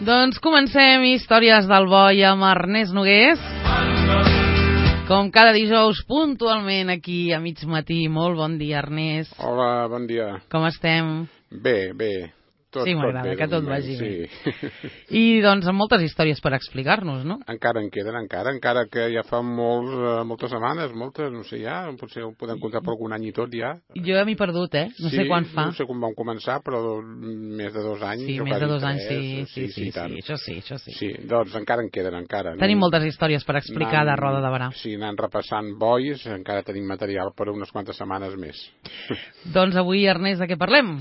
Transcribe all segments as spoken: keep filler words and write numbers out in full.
Doncs comencem Històries del Boi amb Ernest Nogués. Com cada dijous, puntualment aquí a mig matí. Molt bon dia, Ernest. Hola, bon dia. Com estem? Bé, bé. Tot, sí, m'agrada, que tot moment, vagi sí. bé. I doncs amb moltes històries per explicar-nos, no? Encara en queden, encara, encara que ja fa molts, uh, moltes setmanes, moltes, no sé ja, potser ho podem comptar per algun any i tot ja. Jo ja m'he perdut, eh? No sí, sé quan fa. no sé com vam començar, però més de dos anys. Sí, més de dos anys, sí, sí, sí, sí, sí, això sí, això sí. Sí, doncs encara en queden, encara. Tenim moltes històries per explicar de Roda de Berà. Sí, anant repassant bois, encara tenim material per unes quantes setmanes més. Doncs avui, Ernest, de què parlem?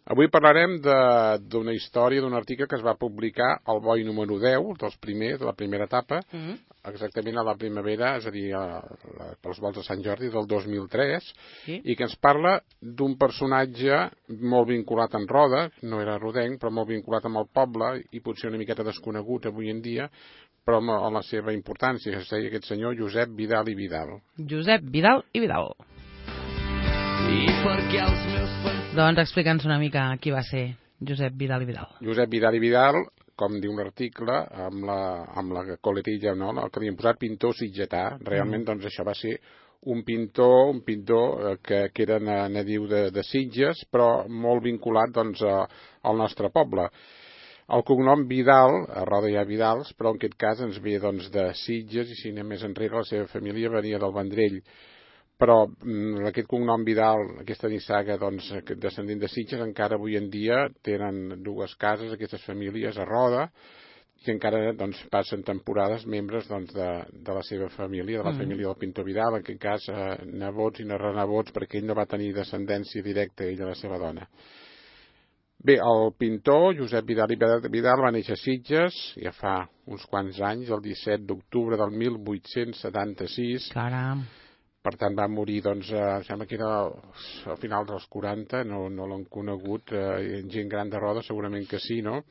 Avui parlarem d'una història, d'un article que es va publicar al Boi número deu, dels primers, de la primera etapa, mm-hmm. exactament a la primavera, és a dir, a, a, pels vols de Sant Jordi del dos mil tres, sí. I que ens parla d'un personatge molt vinculat en Roda, no era rodenc, però molt vinculat amb el poble i potser una miqueta desconegut avui en dia, però amb la seva importància, que es deia aquest senyor Josep Vidal i Vidal. Josep Vidal i Vidal. I perquè els meus... Doncs explica'ns una mica qui va ser Josep Vidal i Vidal. Josep Vidal i Vidal, com diu l'article, amb la, amb la coletilla, no? Que li han posat pintor sitgetà. Realment, mm. doncs, això va ser un pintor, un pintor que, que era nadiu de, de Sitges, però molt vinculat doncs, a, al nostre poble. El cognom Vidal, a Roda hi ha Vidals, però en aquest cas ens ve doncs, de Sitges, i si anem més enrere, la seva família venia del Vendrell. Però aquest cognom Vidal, aquesta nissaga doncs, descendent de Sitges, encara avui en dia tenen dues cases, aquestes famílies a Roda, i encara doncs, passen temporades membres doncs, de, de la seva família, de la mm. família del pintor Vidal, en aquest cas eh, nebots i no renebots, perquè ell no va tenir descendència directa, ell i la seva dona. Bé, el pintor Josep Vidal i Vidal va néixer a Sitges, ja fa uns quants anys, el disset d'octubre del mil vuit-cents setanta-sis. Caram! Per tant, va morir, doncs, eh, sembla que era al final dels quaranta, no, no l'han conegut, eh, gent gran de Roda segurament que sí, no?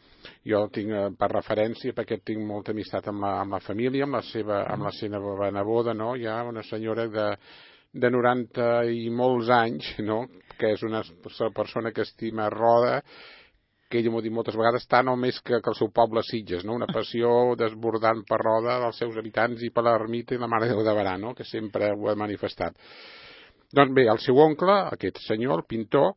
Jo el tinc eh, per referència perquè tinc molta amistat amb la, amb la família, amb la seva, amb la seva neboda, no? Hi ha una senyora de, de noranta i molts anys, no? Que és una persona que estima Roda, que ella m'ho ha dit moltes vegades, tant o més que, que el seu poble Sitges, no? Una passió desbordant per Roda dels seus habitants i per l'ermita i la Mare de Déu de Berà, no? Que sempre ho ha manifestat. Doncs bé, el seu oncle, aquest senyor, el pintor,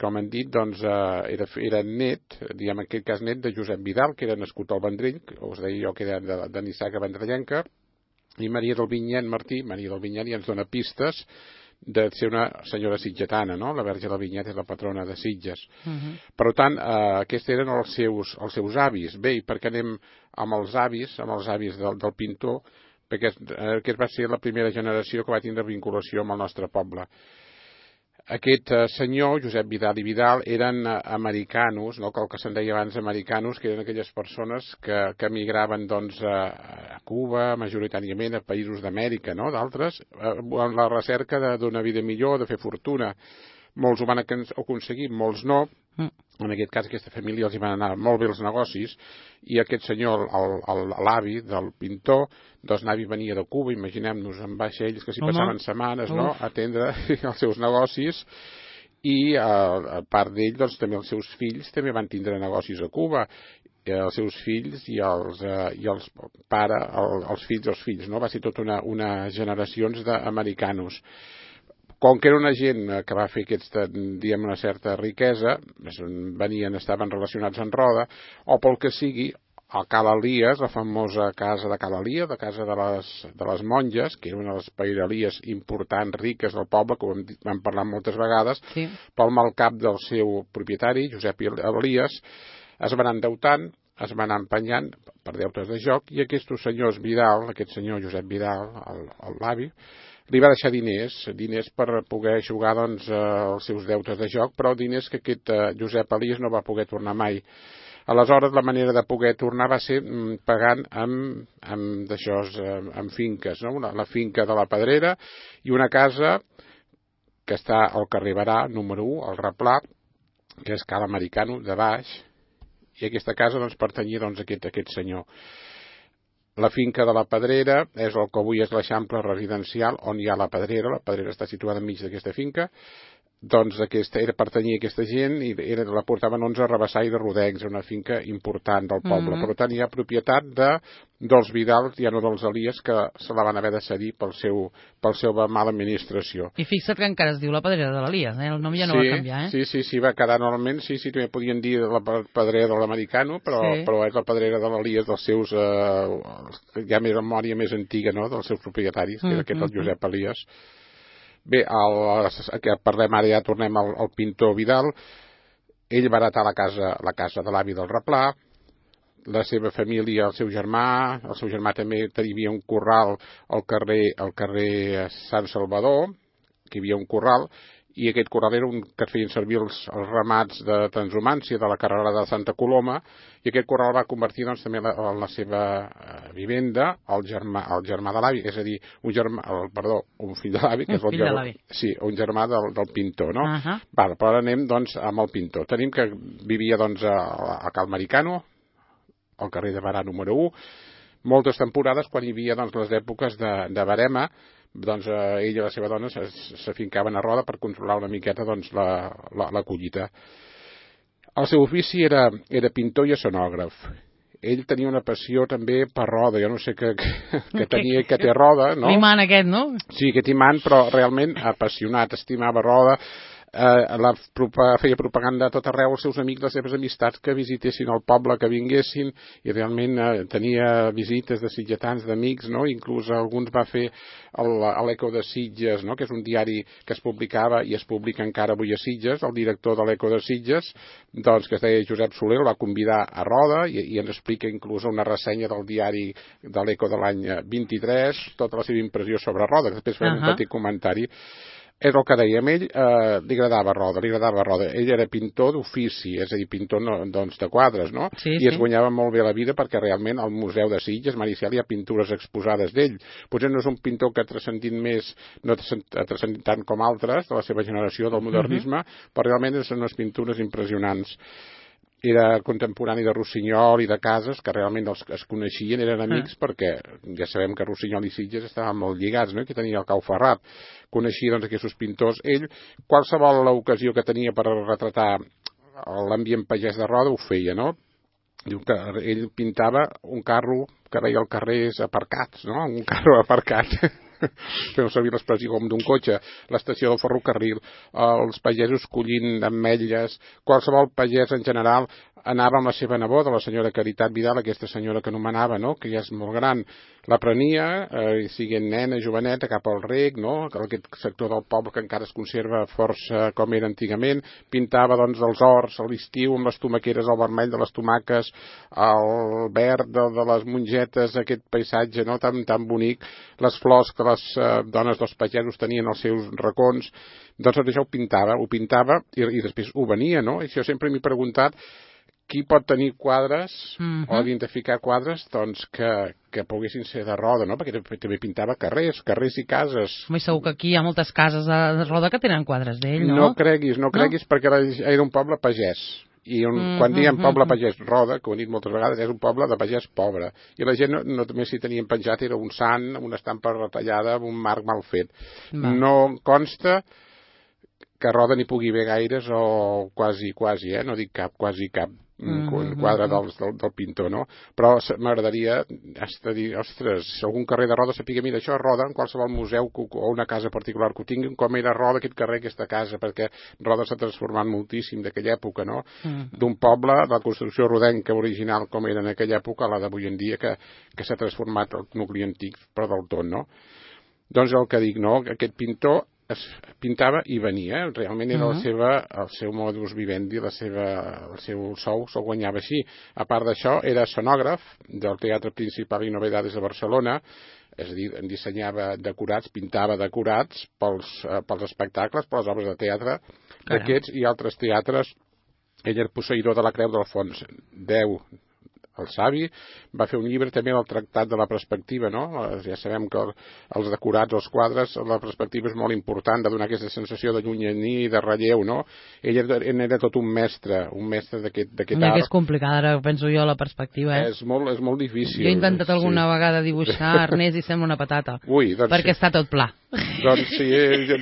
com han dit, doncs, eh, era, era net, diguem en aquest cas net, de Josep Vidal, que era nascut al Vendrell, us deia jo que era de, de Nissaga vendrellenca, i Maria del Vinyet Martí, Maria del Vinyet, ja ens dona pistes de ser una senyora sitgetana, no? La Verge del Vinyet és la patrona de Sitges. Uh-huh. Per tant, eh, aquests eren els seus, els seus avis. Bé, i per què anem amb els avis, amb els avis del, del pintor? Perquè eh, aquest va ser la primera generació que va tindre vinculació amb el nostre poble. Aquest eh, senyor, Josep Vidal i Vidal, eren eh, americanos, no? Que el que se'n deia abans americanos, que eren aquelles persones que, que emigraven doncs, a, a Cuba, majoritàriament a països d'Amèrica, no? D'altres, eh, en la recerca d'una vida millor, de fer fortuna. Molts ho van aconseguir, molts no. Mm. En aquest cas, aquesta família els hi van anar molt bé els negocis, i aquest senyor, l'avi del pintor, doncs l'avi venia de Cuba, imaginem-nos, amb vaixells que s'hi passaven setmanes, no?, a atendre els seus negocis, i a part d'ell, doncs també els seus fills també van tindre negocis a Cuba, els seus fills i els, eh, i els pare, el, els fills dels fills, no? Va ser tota una, una generacions d'americanos. Com que era una gent que va fer aquesta, diguem, una certa riquesa, venien, estaven relacionats en Roda, o pel que sigui, a Cala Elies, la famosa casa de Cala Elies, la casa de les, de les monges, que era una de les pairalies importants, riques del poble, que ho hem, hem parlat moltes vegades, sí. Pel mal cap del seu propietari, Josep Elies, es van endeutant, es van anar empenyant per deutes de joc, i aquests senyors Vidal, aquest senyor Josep Vidal, l'avi, li va deixar diners, diners per poder jugar doncs, els seus deutes de joc, però diners que aquest eh, Josep Elies no va poder tornar mai. Aleshores, la manera de poder tornar va ser mm, pagant amb, amb, d'això, amb finques, no? la, la finca de la Pedrera i una casa que està al carrer Berà, número u, al Replà, que és Cal Americano, de baix, i aquesta casa doncs, pertanyia doncs, a aquest, a aquest senyor. La finca de la Pedrera és el que avui és l'Eixample residencial on hi ha la Pedrera. La Pedrera està situada enmig d'aquesta finca. doncs aquesta, era pertanyia a aquesta gent i era, la portaven onze a Rabassar i de Rodencs, una finca important del poble. Mm-hmm. Per tant, hi ha propietat de, dels Vidal, ja no dels Elies, que se la van haver de cedir pel seu, pel seu mala administració. I fixa't que encara es diu la Pedrera de l'Elies, eh? El nom ja no sí, va canviar, eh? Sí, sí, sí, va quedar normalment, sí, sí, també podien dir la Pedrera de l'Americano, però, sí. però és la Pedrera de l'Elies dels seus, eh, ja més memòria més antiga, no?, dels seus propietaris, que era aquest el Josep Elies. Bé, el, que parlem ara, ja tornem al, al pintor Vidal. Ell va heretar la casa, la casa de l'avi del Replà, la seva família, el seu germà, el seu germà també tenia un corral al carrer, al carrer Sant Salvador, que hi havia un corral, i aquest corral era un que feien servir els, els ramats de transhumància de la carrera de Santa Coloma, i aquest corral va convertir doncs, també la, la seva uh, vivenda el germà, el germà de l'avi, és a dir, un germà, el, perdó, un fill de l'avi, que és el fill de l'avi. Sí, un germà del, del pintor, no? Uh-huh. Val, però ara anem doncs amb el pintor. Tenim que vivia doncs a, a Cal Maricano, al carrer de Barà número u, moltes temporades quan hi havia doncs, les èpoques de, de Verema, doncs eh, ell i la seva dona s'afincaven a Roda per controlar una miqueta doncs, la, la, la collita. El seu ofici era, era pintor i escenògraf. Ell tenia una passió també per Roda, jo no sé què, que, que tenia, que té Roda, no? L'imant aquest, no? Sí, aquest imant, però realment apassionat, estimava Roda, eh, la, feia propaganda a tot arreu als seus amics, les seves amistats que visitessin el poble, que vinguessin, i realment eh, tenia visites de sitgetans, d'amics, no? Inclús alguns va fer l'Eco de Sitges, no? Que és un diari que es publicava i es publica encara avui a Sitges. El director de l'Eco de Sitges, doncs, que es deia Josep Soler, el va convidar a Roda i, i ens explica inclús una ressenya del diari de l'Eco de l'any vint-i-tres, tota la seva impressió sobre Roda, que després farem uh-huh. un petit comentari. És el que dèiem, ell eh, li agradava Roda, li agradava Roda. Ell era pintor d'ofici, és a dir, pintor no, doncs, de quadres, no? Sí, I sí. es guanyava molt bé la vida perquè realment al Museu de Sitges, Maricial, hi ha pintures exposades d'ell. Potser no és un pintor que ha transcendit més, no ha transcendit tant com altres de la seva generació del modernisme, uh-huh. però realment són unes pintures impressionants. Era contemporani de Rossinyol i de Casas, que realment els que es coneixien eren amics, ah. perquè ja sabem que Rossinyol i Sitges estaven molt lligats, no? Que tenia el Cau Ferrat. Coneixia doncs aquests pintors. Ell, qualsevol l'ocasió que tenia per retratar l'ambient pagès de Roda, ho feia, no? Diu que ell pintava un carro que veia els carrers aparcats, no? Un carro aparcat. Fem servir l'expressió com d'un cotxe, l'estació del ferrocarril, els pagesos collint ametlles, qualsevol pagès en general anava amb la seva neboda, la senyora Caritat Vidal, aquesta senyora que anomenava, no? Que ja és molt gran, la prenia, eh, siguent nena, joveneta, cap al rec, no? Aquest sector del poble que encara es conserva força com era antigament, pintava doncs els horts a l'estiu amb les tomaqueres, el vermell de les tomaques, el verd de, de les mongetes, aquest paisatge, no? Tan, tan bonic, les flors que les eh, dones dels pagesos tenien als seus racons, doncs tot això ho pintava, ho pintava i, i després ho venia, no? I jo sempre m'he preguntat qui pot tenir quadres uh-huh. o identificar quadres doncs, que, que poguessin ser de Roda, no? Perquè també pintava carrers, carrers i cases. Home, segur que aquí hi ha moltes cases de Roda que tenen quadres d'ell, no? No creguis, no creguis, no? Perquè era, era un poble pagès. I un, mm, quan diem poble mm, pagès, Roda, que ho he dit moltes vegades, és un poble de pagès pobre. I la gent no, no només s'hi tenien penjat, era un sant, una estampa retallada, un marc mal fet. Va. No consta que Roda n'hi pugui haver gaires o quasi, quasi, eh? No dic cap, quasi cap. Mm, un quadre del, del, del pintor, no? Però m'agradaria dir, ostres, si algun carrer de Roda sapiguem, mira, això és Roda, en qualsevol museu o una casa particular que ho tinguin, com era Roda aquest carrer, aquesta casa, perquè Roda s'ha transformat moltíssim d'aquella època, no? Mm. D'un poble, la construcció rodenca original com era en aquella època, a la d'avui en dia, que, que s'ha transformat el nucli antic, però del tot, no? Doncs el que dic, no? Aquest pintor es pintava i venia, realment era uh-huh. la seva, el seu modus vivendi, la seva, el seu sou se'l guanyava així. A part d'això, era escenògraf del Teatre Principal i Novedades de Barcelona, és a dir, en dissenyava decorats, pintava decorats pels, eh, pels espectacles, per les obres de teatre d'aquests i altres teatres. Ell era posseïdor de la Creu d'Alfons X, el savi, va fer un llibre també del Tractat de la Perspectiva, no? Ja sabem que els decorats, els quadres, la perspectiva és molt important de donar aquesta sensació de llunyania i de relleu, no? Ell era, era tot un mestre, un mestre d'aquest art. Mira que és complicada, ara penso jo, la perspectiva, eh? És molt, és molt difícil. Jo he intentat alguna sí. vegada dibuixar, Ernest, i sembla una patata. Ui, doncs perquè sí. està tot pla. Doncs si,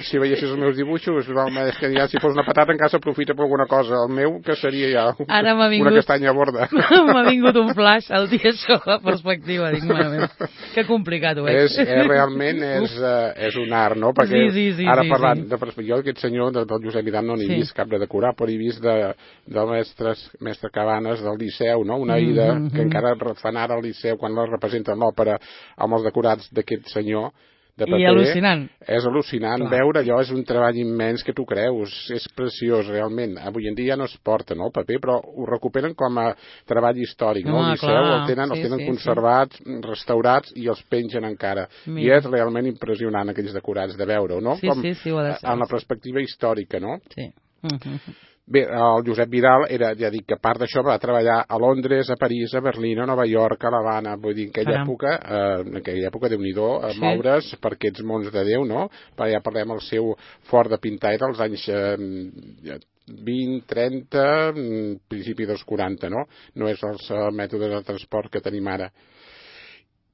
si veiessis els meus dibuixos, és que ja si fos una patata encara s'aprofita per alguna cosa. El meu, que seria ja Ara m'ha vingut, una castanya borda. M'ha vingut un flash al dia això, la perspectiva. Dic, mare meva, que complicat ho és. És, és realment és, uh, és un art, no? Perquè sí, sí, sí, ara sí, parlant, sí. De, jo aquest senyor del, del Josep Vidal no n'he sí. vist cap de decorar, però he vist de, de mestres, mestre Cabanes del Liceu, no? Una Aida mm -hmm. que encara fan ara al Liceu quan la representen l'òpera amb els decorats d'aquest senyor de paper. I al·lucinant. És al·lucinant. Clar. Veure allò és un treball immens que tu creus. És preciós, realment. Avui en dia no es porta, no, el paper, però ho recuperen com a treball històric, no? El Liceu el tenen, sí, els tenen sí, conservats, sí. restaurats i els pengen encara. Mira. I és realment impressionant aquells decorats de veure-ho, no? Sí, com, sí, sí, ho ha de ser. En la perspectiva històrica, no? Sí. Uh-huh. Bé, el Josep Vidal era, ja dic, que a part d'això va treballar a Londres, a París, a Berlín, a Nova York, a l'Havana, vull dir, en aquella Caram. època, eh, en aquella època, Déu-n'hi-do, a sí. moure's per aquests mons de Déu, no? Perquè ja parlem, el seu fort de pintar era als anys eh, vint, trenta, principi dels quaranta, no? No és els uh, mètodes de transport que tenim ara.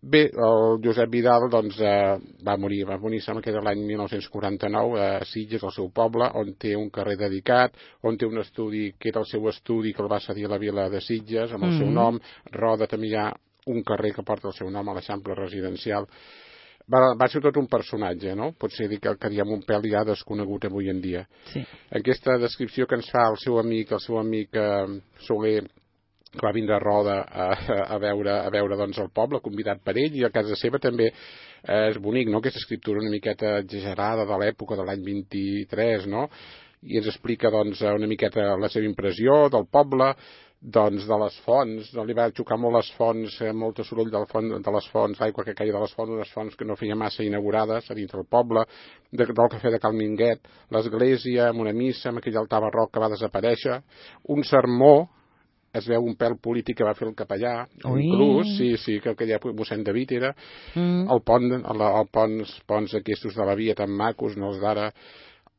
Bé, el Josep Vidal doncs, eh, va morir, va morir, sembla que era l'any mil nou-cents quaranta-nou, a Sitges, al seu poble, on té un carrer dedicat, on té un estudi, que era el seu estudi, que el va cedir a la vila de Sitges, amb el mm-hmm. seu nom. Roda també hi ha un carrer que porta el seu nom a l'Eixample Residencial. Va, va ser tot un personatge, no? Potser dir que, que diem un pèl ja desconegut avui en dia. Sí. Aquesta descripció que ens fa el seu amic, el seu amic eh, Soler, que va vindre a Roda a, a veure, a veure doncs, el poble, convidat per ell, i a casa seva també eh, és bonic, no?, aquesta escriptura una miqueta exagerada de l'època de l'any vint-i-tres, no?, i ens explica doncs, una miqueta la seva impressió del poble, doncs, de les fonts, no? Li va xocar molt les fonts, eh, molt soroll del font, de les fonts, l'aigua que caia de les fonts, unes fonts que no feia massa inaugurades a dins del poble, de, del cafè de Cal Minguet, l'església, amb una missa, amb aquell altar barroc que va desaparèixer, un sermó, es veu un pèl polític que va fer el capellà, Ui. inclús, sí, sí, que aquella mossèn David era, mm. el pont, el, el ponts, ponts aquests de la via tan macos, no els d'ara,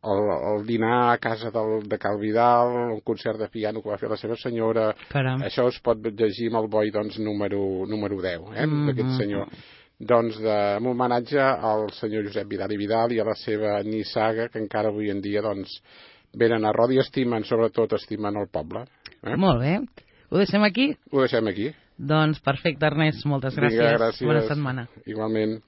el, el dinar a casa del, de Cal Vidal, un concert de piano que va fer la seva senyora. Caram. Això es pot llegir amb el boi, doncs, número, número deu, eh, mm-hmm. d'aquest senyor. Doncs, de, en homenatge al senyor Josep Vidal i Vidal i a la seva nissaga, que encara avui en dia, doncs, venen a Roda i estimen, sobretot estimen el poble. Eh? Molt bé. Ho deixem aquí? Ho deixem aquí. Doncs perfecte, Ernest. Moltes gràcies. Vinga, gràcies. Bona setmana. Igualment.